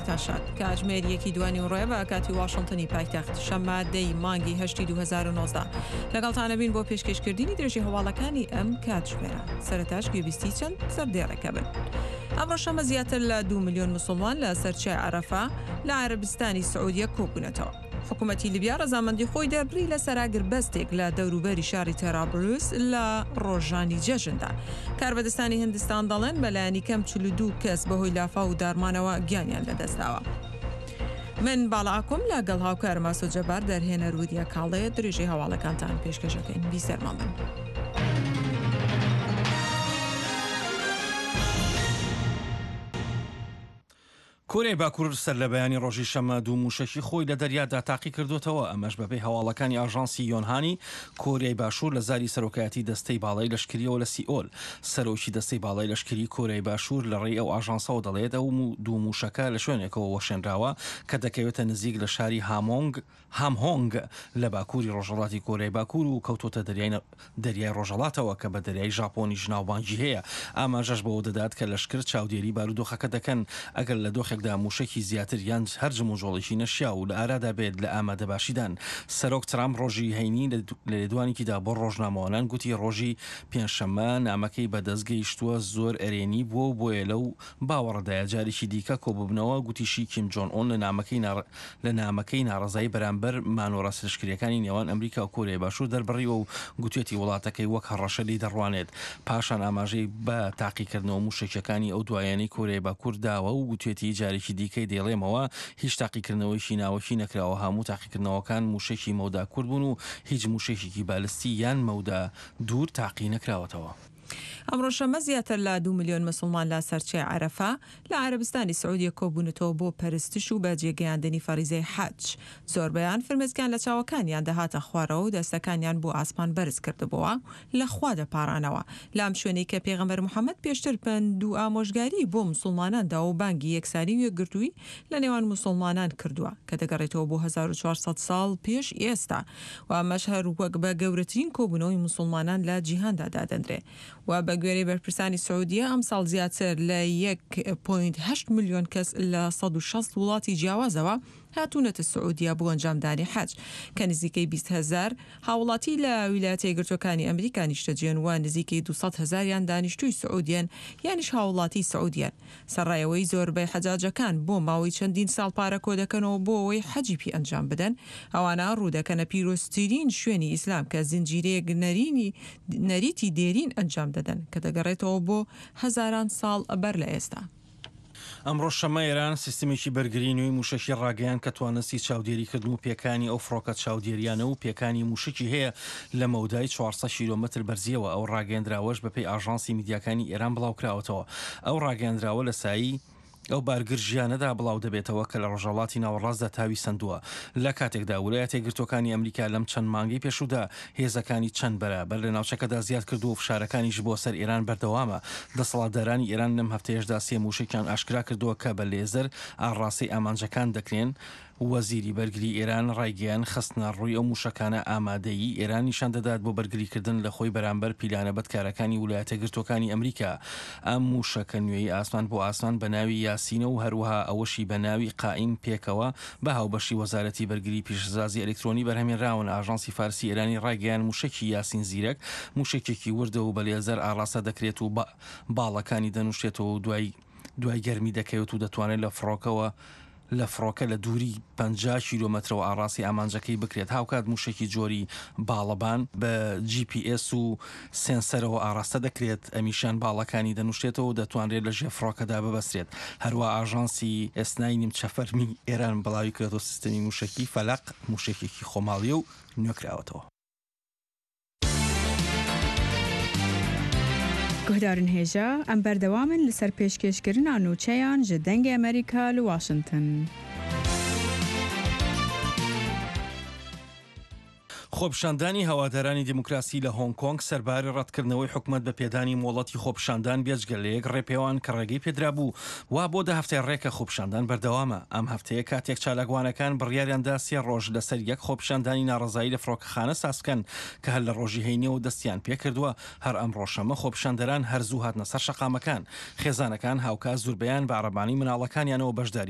بەیانیتان شاد. کاتژمێر یەکی دوانیوەڕۆیە بە کاتی واشنتنی پایتەخت، شەممە دە ی مانگی هەشتی 2019. لەگەڵتان ئەبین بۆ پێشکێشکردنی درێژەی هەواڵەکانی ئەم کاتژمێرە. سەرەتاش گوێبیستی چەند سەردێڕێکە بن. ئەمڕۆ شەممە زیاتر لە دوو ملیۆن موسڵمان لە سەر چیای عەرەفە لە عەرەبستانی سعودیە کۆبوونەتەوە. حکومەتی لیبیا ڕەزامەندی خۆی دەربڕی لەسەر ئاگربەستێک لە دەوروبەری شاری تەرابلس لە ڕۆژانی جەژندا. کاربەدەستانی هندستان دەڵێن بەلایەنی کەم 42 کەس بەهۆی لافاو و داڕمانەوە گیانیان لەدەستداوە. من باڵا ئاکۆم لەگەڵ هاوکارم ئاسۆ جەبار دەرهێنەر وریا کاڵێ درێژەی هەواڵەکانتان پێشکەشەکەین. بیسەرمان بن. کۆریای باکوور سەرلەبەیانی ڕۆژی شەممە دوو مووشەکی خۆی لە دەریادا تاقیکردووەتەوە، ئەمەش بەپێی هەواڵەکانی ئاژانسی یۆنهانی کۆریای باشوور لە زاری سەرۆکایەتی دەستەی باڵای لەشکرییەوە لە سیئۆل. سەرۆکی دەستەی باڵای لەشکری کۆریای باشوور لە ڕێی ئەو ئاژانسەوە دەڵێت ئەو دوو مووشەکە لە شوێنێکەوە وەشێنراوە کە دەکەوێتە نزیک لە شاری هامۆنگ هامهۆنگ لە باکووری ڕۆژهەڵاتی کۆریای باکوور و کەوتۆتە دەریای دەریای ڕۆژهەڵاتەوە کە بە دەریای ژاپۆنیش ناوبانگی هەیە. ئاماژەش بەوە دەدات کە لەشکر چاودێری بارودۆخەکە دەکەن ئەگەر لە دۆخێکدا مووشەکی زیاتر یان هەر جموجۆڵێکی نەشیاو لە ئارادا بێت لە ئامادەباشیدان. سەرۆک ترامپ ڕۆژی هەینی لە لێدوانێکیدا بۆ ڕۆژنامەوانان گوتی ڕۆژی پێنجشەممە نامەکەی بەدەست گەیشتووە زۆر ئەرێنی بووە و بۆیە لەو باوەڕەدایە جارێکی دیکە کۆببنەوە، گوتیشی کیم جۆن ئۆن لە نامەکەی لە نامەکەی ناڕەزایی بەرامبەر مانۆڕە لەشکرییەکانی نێوان ئەمریکا و کۆریای باشوور دەربڕیوە و گوتویەتی وڵاتەکەی وەک هەڕەشە لێی دەڕوانێت. پاشان ئاماژەی بە تاقیکردنەوە مووشەکییەکانی ئەو دوایانەی کۆریای باکوور داوە و گوتویەتی جارێکی دیکەی دەیڵێمەوە هیچ تاقیکردنەوەیەکی ناوەکی نەکراوە، هەموو تاقیکردنەوەکان مووشەکی مەودا کورت بوون و هیچ مووشەکێکی بالستی یان مەودا دوور تاقی نەکراوەتەوە. ئەمڕۆ شەممە زیاتر لە دوو ملیۆن مسوڵمان لە سەر چیای عەرەفە لە عەرەبستانی سعودیە کۆبوونەتەوە بۆ پەرستش و بەجێ گەیاندنی فەریزەی حەج. زۆربەیان فرمێسکیان لە چاوەکانیان دەهاتە خوارەوە و دەستەکانیان بۆ ئاسمان بەرز کردبۆوە و لە خوا دەپاڕانەوە لەم شوێنەی کە پێغەمبەر محەمەد پێشتر پەند و ئامۆژگاری بۆ مسوڵمانان داوە و بانگی یەکسانی و یەکگرتوویی لە نێوان مسوڵمانان کردووە کە دەگەڕێتەوە بۆ 1400 ساڵ پێش ئێستا و ئەمەش هەر وەک بە گەورەترین کۆبوونەوەی موسوڵمانان لە جیهاندا دادەنرێ و بە گوێرەی بەرپرسانی سعودیە ئەمساڵ زیاتر لە یەک پۆینت هەشت ملیۆن کەس لە 160 وڵاتی جیاوازەوە هاتوونەتە سعودیە بۆ ئەنجامدانی حەج کە نزیکەی 20 هەزار هاوڵاتی لە ویلایەتە یەکگرتووەکانی ئەمریکا نیشتەجێن و نزیکەی 200 هەزاریان دانیشتووی سعودیەن یانیش هاوڵاتی سعودیەن. سەرەڕای ئەوەی زۆربەی حەجاجەکان بۆ ماوەی چەندین ساڵ پارە کۆدەکەنەوە بۆ ئەوەی حەجی پی ئەنجام بدەن، ئەوانە ڕوودەکەنە پیرۆزترین شوێنی ئیسلام کە زنجیرەیەک نەرینی نەریتی دێرین ئەنجام دەدەن کە دەگەڕێتەوە بۆ هەزاران ساڵ بەر لە ئێستا. ئەمڕۆ شەممە ئێران سیستمێکی بەرگری نوێی مووشەکی ڕاگەیاند کە توانستی چاودێریکردن و پێکانی ئەو فڕۆکە چاودێریانە و پێکانی مووشەکی هەیە لە مەودای 400 کیلۆمەتر بەرزییەوە، ئەو ڕاگەیەندراوەش بەپێی ئاژانسی میدیاکانی ئێران بڵاوکراوەتەوە. ئەو ڕاگەیەندراوە لە سایەی ئەو بارگرژییانەدا بڵاودەبێتەوە کە لە ڕۆژهەڵاتی ناوەڕاستدا تاوی سەندووە، لە کاتێکدا ولایەتە یەکگرتووەکانی ئەمریکا لەم چەند مانگەی پێشوودا هێزەکانی چەند بەرابەر لە ناوچەکەدا زیاد کردووە و فشارەکانیش بۆ سەر ئێران بەردەوامە. دەسەڵاتدارانی ئێران لەم هەفتەیەشدا سێ مووشەکیان ئاشکرا کردووە کە بە لێزەر ئاڕاستەی ئامانجەکان دەکرێن. وەزیری بەرگری ئێران ڕایگەیاند، خستنەڕووی ئەو مووشەکانە ئامادەیی ئێران نیشان دەدات بۆ بەرگریکردن لە خۆی بەرامبەر پیلانە بەدکارەکانی ولایەتەگرتووەکانی ئەمریکا. ئەم مووشەکە نوێی ئاسمان بۆ ئاسمان بە ناوی یاسینە و هەروەها ئەوەشی بە ناوی قائیم پێکەوە بە هاوبەشی وەزارەتی بەرگری پیشەسازی ئەلکترۆنی بەرهەمێنراون. ئاژانسی فارسی ئێرانی ڕایگەیاند، مووشەکی یاسین زیرەک مووشەکێکی وردە و بە لێزەر ئاڕاستە دەکرێت و باڵەکانی دەنووشێتەوە و دوای دوای گەرمی دەکەوێت و دەتوانێت لە فڕۆکەوە لە فڕۆکە لە دووری 50 کیلۆمەترەوە ئاڕاستەی ئامانجەکەی بکرێت، هاوکات مووشەکی جۆری باڵەبان بە جی پی ئێس و سێنسەرەوە ئاڕاستە دەکرێت، ئەمیشیان باڵەکانی دەنووشێتەوە و دەتوانرێت لە ژێر فڕۆکەدا ببەسترێت. هەروا ئاژانسی ئێسنای نیمچە فەرمی ئێران بڵاویکردەوە سیستەمی مووشەکی فەلەق مووشەکێکی خۆماڵییە و نوێکراوەتەوە. Guhdarên hêja, em berdewam in li ser pêşkêşkirina nûçeyan ji Dengê Amerîka li Washington. خۆپیشاندانی هەوادارانی دیموکراسی لە هۆنگ کۆنگ سەرباری ڕەتکردنەوەی حکومەت بە پێدانی مۆڵەتی خۆپیشاندان بێجگە لە یەک ڕێپێوان کە ڕێگەی پێدرابوو وا بۆ دە هەفتەی ڕێکە خۆپیشاندان بەردەوامە ئەم هەفتەیە کاتێک چالاکوانەکان بڕیاریاندا سێ ڕۆژ لەسەر یەک خۆپیشاندانی ناڕەزایی لە فڕۆکەخانە سازبکەن کە هەر لە ڕۆژی هەینیەوە دەستیان پێکردووە هەر ئەمڕۆ شەممە خۆپیشاندەران هەر زوو هاتنە سەر شەقامەکان خێزانەکان هاوکات زوربەیان بە عەرەبانەی مناڵەکانیانەوە بەشداریان.